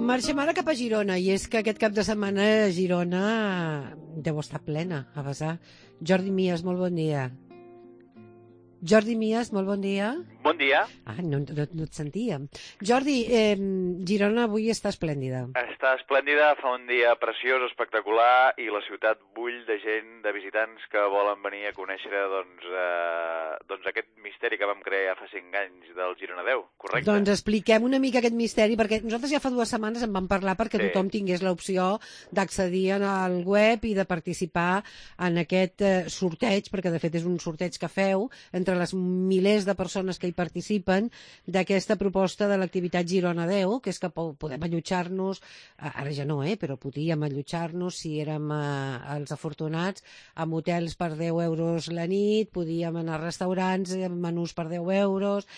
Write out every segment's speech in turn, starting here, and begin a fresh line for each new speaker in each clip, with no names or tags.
Marxem ara cap a Girona, i és que aquest cap de setmana Girona deu estar plena, a vessar. Jordi Mies, molt bon dia. Jordi Mies, molt bon dia.
Bon dia.
Ah, no et sentíem. Jordi, Girona avui està esplèndida.
Està esplèndida, fa un dia preciós, espectacular, i la ciutat bull de gent, de visitants que volen venir a conèixer doncs aquest misteri que vam crear ja fa 5 anys del Girona 10, correcte?
Doncs expliquem una mica aquest misteri, perquè nosaltres ja fa 2 setmanes en vam parlar perquè tothom tingués l'opció d'accedir al web i de participar en aquest sorteig, perquè de fet és un sorteig que feu entre les milers de persones que hi participen d'aquesta proposta de l'activitat Girona 10, que és que podem allotjar-nos, ara ja no, però podíem allotjar-nos si érem els afortunats, amb hotels per 10 euros la nit, podíem anar a restaurants, menús per 10 euros,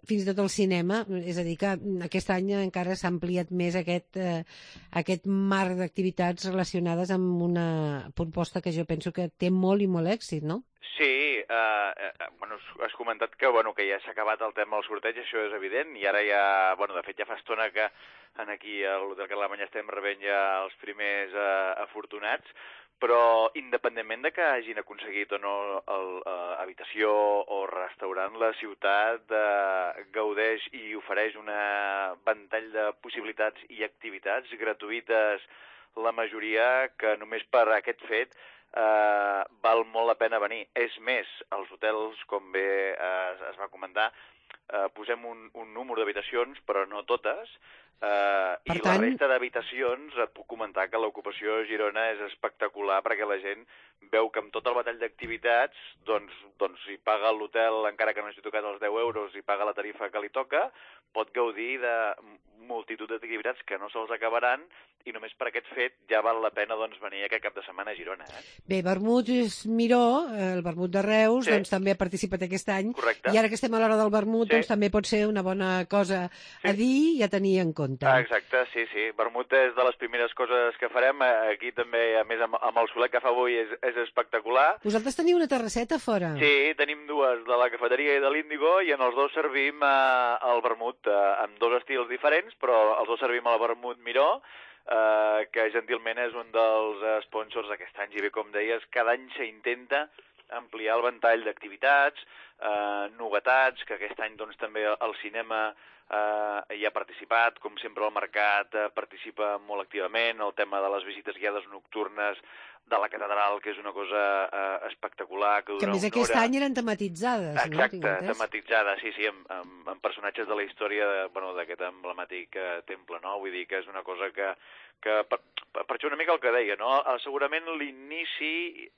fins i tot al cinema. És a dir, que aquest any encara s'ha ampliat més aquest marc d'activitats relacionades amb una proposta que jo penso que té molt i molt èxit, no?
Sí, has comentat que ja s'ha acabat el tema del sorteig, això és evident, i ara ja, de fet ja fa estona que aquí a l'Hotel Carlemany estem rebent ja els primers afortunats, però independentment de que hagin aconseguit o no habitació o restaurant, la ciutat gaudeix i ofereix una ventall de possibilitats i activitats gratuïtes, la majoria, que només per aquest fet val molt la pena venir. És més, els hotels, com bé es va comentar, posem un número d'habitacions, però no totes, i la resta d'habitacions et puc comentar que l'ocupació a Girona és espectacular, perquè la gent veu que amb tot el batall d'activitats, doncs si paga l'hotel, encara que no hagi tocat els 10 euros, i paga la tarifa que li toca, pot gaudir de multitud d'activitats que no se'ls acabaran, i només per aquest fet ja val la pena venir aquest cap de setmana a Girona.
Bé, Vermut Miró, el vermut de Reus, doncs també ha participat aquest any.
Correcte.
I ara que estem a l'hora del vermut, doncs també pot ser una bona cosa a dir i a tenir en compte.
Exacte, sí. Vermut és de les primeres coses que farem. Aquí també, a més, amb el solet que fa avui és espectacular.
Vosaltres teniu una terrasseta a fora?
Sí, tenim dues, de la cafeteria i de l'Índigo, i en els dos servim el vermut, amb dos estils diferents, però els dos servim el vermut Miró, que gentilment és un dels sponsors d'aquest any. I bé, com deies, cada any s'intenta ampliar el ventall d'activitats, novetats, que aquest any doncs, també el cinema hi ha participat, com sempre el mercat participa molt activament, el tema de les visites guiades nocturnes de la catedral, que és una cosa espectacular, que dura una hora.
Que a més aquest any eren tematitzades, no?
Exacte, tematitzades, sí, amb personatges de la història d'aquest emblemàtic temple, no? Vull dir que és una cosa que per això una mica el que deia, no? Segurament l'inici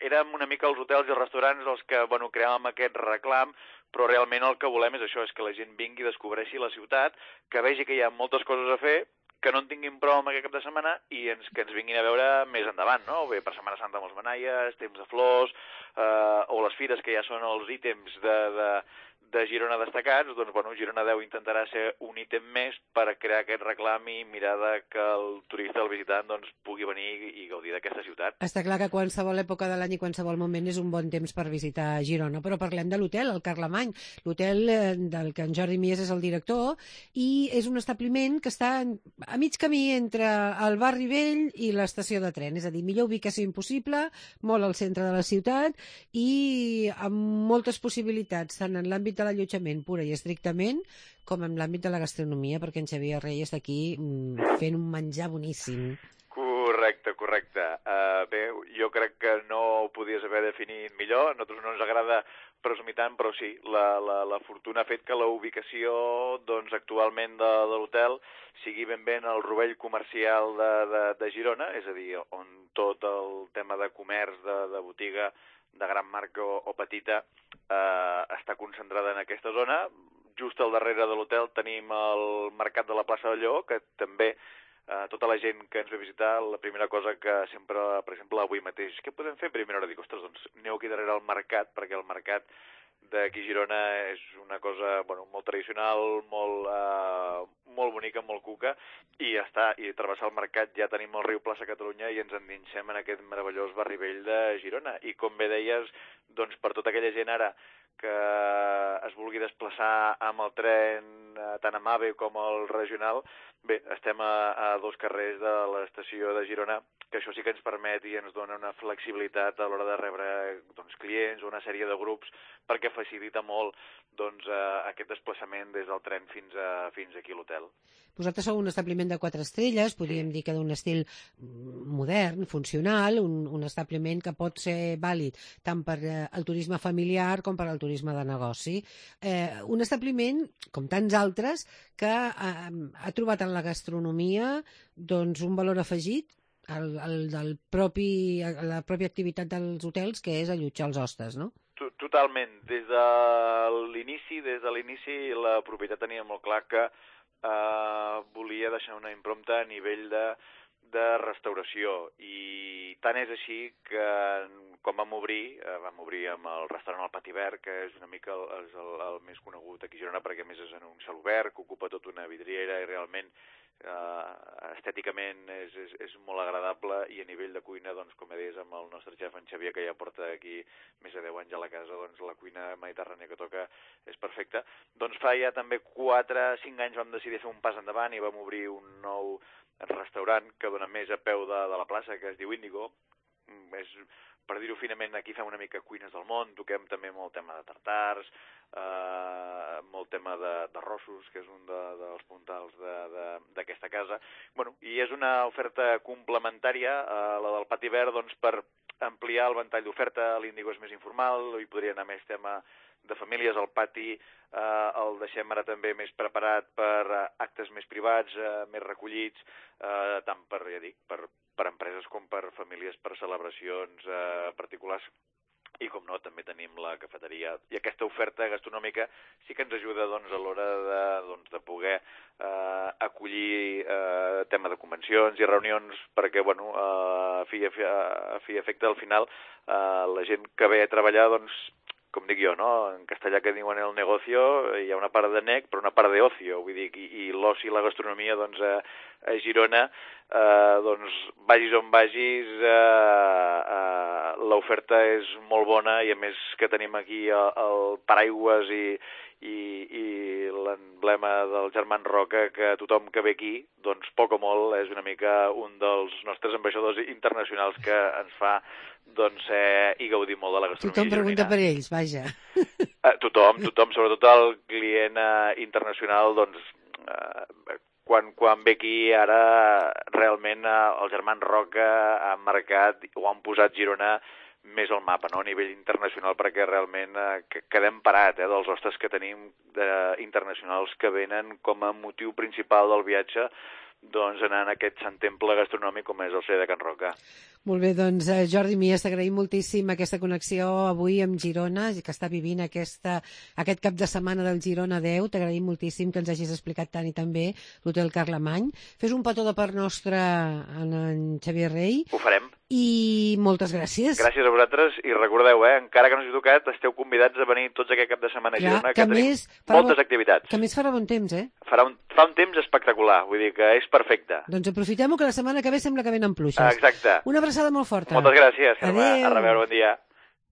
érem una mica els hotels i els restaurants els que, creàvem aquest reclam, però realment el que volem és això, és que la gent vingui i descobreixi la ciutat, que vegi que hi ha moltes coses a fer, que no en tinguin prou amb aquest cap de setmana i que ens vinguin a veure més endavant, no? Bé, per Setmana Santa amb els manaies, temps de flors, o les fires, que ja són els ítems de Girona destacats, doncs, Girona 10 intentarà ser un ítem més per crear aquest reclam i mirar que el turista, el visitant, doncs, pugui venir i gaudir d'aquesta ciutat.
Està clar que qualsevol època de l'any i qualsevol moment és un bon temps per visitar Girona, però parlem de l'hotel, el Carlemany, l'hotel del que en Jordi Mies és el director, i és un establiment que està a mig camí entre el barri vell i l'estació de tren, és a dir, millor ubicació impossible, molt al centre de la ciutat i amb moltes possibilitats, tant en l'àmbit de l'allotjament pura i estrictament, com en l'àmbit de la gastronomia, perquè en Xavier Reyes està aquí fent un menjar boníssim.
Correcte. Bé, jo crec que no ho podies haver definit millor. A nosaltres no ens agrada presumir tant, però sí, la fortuna ha fet que la ubicació actualment de l'hotel sigui ben bé en el rovell comercial de Girona, és a dir, on tot el tema de comerç, de botiga, de gran marca o petita, està concentrada en aquesta zona. Just al darrere de l'hotel tenim el mercat de la plaça de Lleó, que també tota la gent que ens ve a visitar, la primera cosa que sempre, per exemple, avui mateix, què podem fer a primera hora? Dic, ostres, doncs aneu aquí darrere al mercat, perquè el mercat d'aquí a Girona és una cosa molt tradicional, molt bonica, molt cuca, i ja està. I travessar el mercat ja tenim el riu Plaça Catalunya i ens endinsem en aquest meravellós barri vell de Girona. I com bé deies, doncs per tota aquella gent ara que es vulgui desplaçar amb el tren tant amb AVE com el regional, bé, estem a 2 carrers de l'estació de Girona, que això sí que ens permet i ens dona una flexibilitat a l'hora de rebre clients o una sèrie de grups, perquè facilita molt aquest desplaçament des del tren fins aquí a l'hotel.
Vosaltres sou un establiment de 4 estrelles, podríem dir que d'un estil modern, funcional, un establiment que pot ser vàlid tant per al turisme familiar com per al turisme de negoci. Un establiment, com tants altres, que ha trobat en la gastronomia un valor afegit la pròpia activitat dels hotels, que és allotjar els hostes, no?
Totalment. Des de l'inici la propietat tenia molt clar que volia deixar una impronta a nivell de restauració, i tant és així que quan vam obrir amb el restaurant al Pati Verd, que és una mica el més conegut aquí a Girona, perquè a més és en un cel obert, que ocupa tota una vidriera i realment estèticament és molt agradable, i a nivell de cuina, com deies, amb el nostre xef, en Xavier, que ja porta aquí més de 10 anys a la casa, la cuina mediterrània que toca és perfecta. Fa ja també 4-5 anys vam decidir fer un pas endavant i vam obrir un nou restaurant que dona més a peu de la plaça, que es diu Índigo. Per dir-ho finament, aquí fem una mica cuines del món, toquem també molt tema de tartars, molt tema d'arrossos, que és un dels puntals d'aquesta casa. I és una oferta complementària a la del Pati Verd, per ampliar el ventall d'oferta. L'Índigo és més informal, hi podria anar més tema de famílies. El Pati el deixem ara també més preparat per actes més privats, més recollits, tant per empreses com per famílies, per celebracions particulars. I, com no, també tenim la cafeteria. I aquesta oferta gastronòmica sí que ens ajuda a l'hora de poder acollir tema de convencions i reunions, perquè, a fi i efecte, al final, la gent que ve a treballar, com dic jo, no? En castellà que diuen el negocio, hi ha una part de nec, però una part de ocio, vull dir, i l'oci i la gastronomia, a Girona, vagis on vagis, l'oferta és molt bona, i a més que tenim aquí el paraigües i l'emblema del Germán Roca, que tothom que ve aquí, poc o molt, és una mica un dels nostres ambaixadors internacionals, que ens fa i gaudir molt de la gastronomia
gironina. Tothom pregunta per ells, vaja.
Tothom, sobretot el client internacional, quan ve aquí, ara realment el Germán Roca ha marcat o han posat Girona més al mapa, no? A nivell internacional, perquè realment quedem parat dels hostes que tenim internacionals, que venen com a motiu principal del viatge, anar a aquest sant temple gastronòmic com és el CER de Can Roca.
Molt bé, Jordi Mies, t'agraïm moltíssim aquesta connexió avui amb Girona, que està vivint aquest cap de setmana del Girona 10. T'agraïm moltíssim que ens hagis explicat tant i tan bé l'Hotel Carlemany. Fes un petó de part nostre en Xavier Rey.
Ho farem.
I moltes gràcies.
Gràcies a vosaltres, i recordeu, encara que no us he tocat, esteu convidats a venir tots aquest cap de setmana a Girona, que tenim moltes activitats.
Que a més farà bon temps,
Fa un temps espectacular, vull dir que és perfecte.
Doncs aprofitem-ho, que la setmana que ve sembla que venen pluges.
Exacte.
Una abraçada molt forta.
Moltes gràcies,
Carme.
A reveure, bon dia.